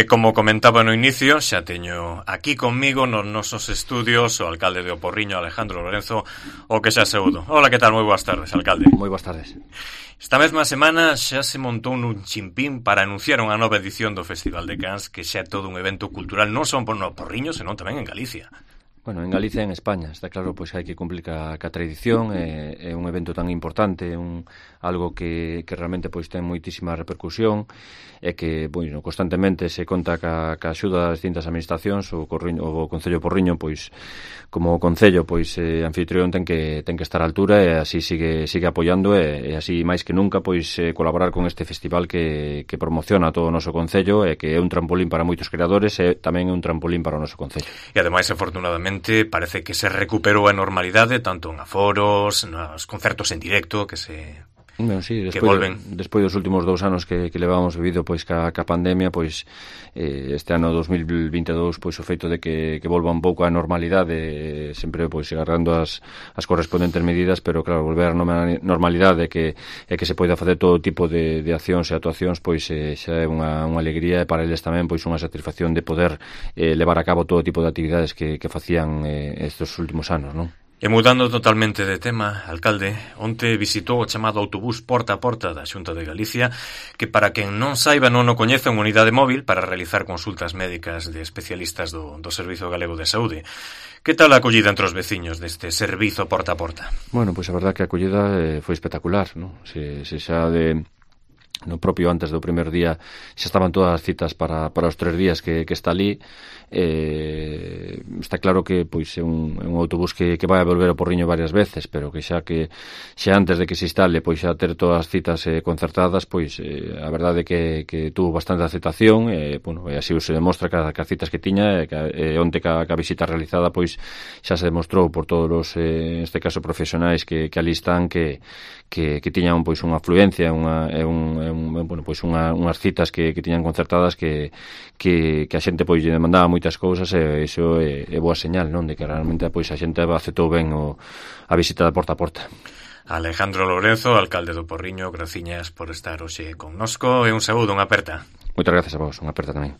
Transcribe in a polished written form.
Como comentaba no inicio, xa teño aquí conmigo nos nosos estudios o alcalde de O Porriño, Alejandro Lorenzo, o que xa saúdo. Hola, que tal? Moi boas tardes, alcalde. Moi boas tardes. Esta mesma semana xa se montou nun chimpín para anunciar unha nova edición do Festival de Cans, que xa é todo un evento cultural non só no Porriño, senón tamén en Galicia. Bueno, en Galicia e en España, está claro pois hai que cumplir ca tradición, é un evento tan importante, algo que realmente pois ten moitísima repercusión e que, bueno, constantemente se conta ca axuda das distintas administracións. O Concello Porriño, pois como concello, pois anfitrión ten que estar á altura e así sigue apoiando e así máis que nunca pois colaborar con este festival que promociona todo o noso concello e que é un trampolín para moitos creadores e tamén é un trampolín para o noso concello. E ademais, afortunadamente, parece que se recuperou a normalidade tanto en aforos, nos concertos en directo bueno, sí, despois dos últimos 2 anos que levamos vivido pois ca pandemia, pois este ano 2022 pois o feito de que volva un pouco á normalidade, sempre pois agarrando as correspondentes medidas, pero claro, volver á normalidade que se poida facer todo tipo de accións e actuacións, pois xa é unha alegría e para eles tamén pois unha satisfacción de poder levar a cabo todo tipo de actividades que facían estes últimos anos, non? E mudando totalmente de tema, alcalde, onte visitou o chamado autobús porta a porta da Xunta de Galicia, que para quen non saiba non o coñece, unha unidade móvil para realizar consultas médicas de especialistas do Servizo Galego de Saúde. Que tal a acollida entre os veciños deste servizo porta a porta? Bueno, pois a verdad que a acollida foi espectacular, non? Se xa no propio antes do primer día xa estaban todas as citas para os 3 días que está ali. Está claro que pois é un autobús que vai a volver ao Porriño varias veces, pero que xa antes de que se instale pois xa ter todas as citas concertadas, pois a verdade é que tuvo bastante aceptación e así se demostra que as citas que tiña e onte que a visita realizada pois xa se demostrou por todos os neste caso profesionais que ali están que tiñan pois unha afluencia unhas citas que tiñan concertadas que a xente pois lle demandaba moitas cousas e iso é boa señal, non? De que realmente pois a xente aceptou ben a visita de porta a porta. Alejandro Lorenzo, alcalde do Porriño, graciñas por estar hoxe connosco e un saúdo, unha aperta. Moitas gracias a vos, unha aperta tamén.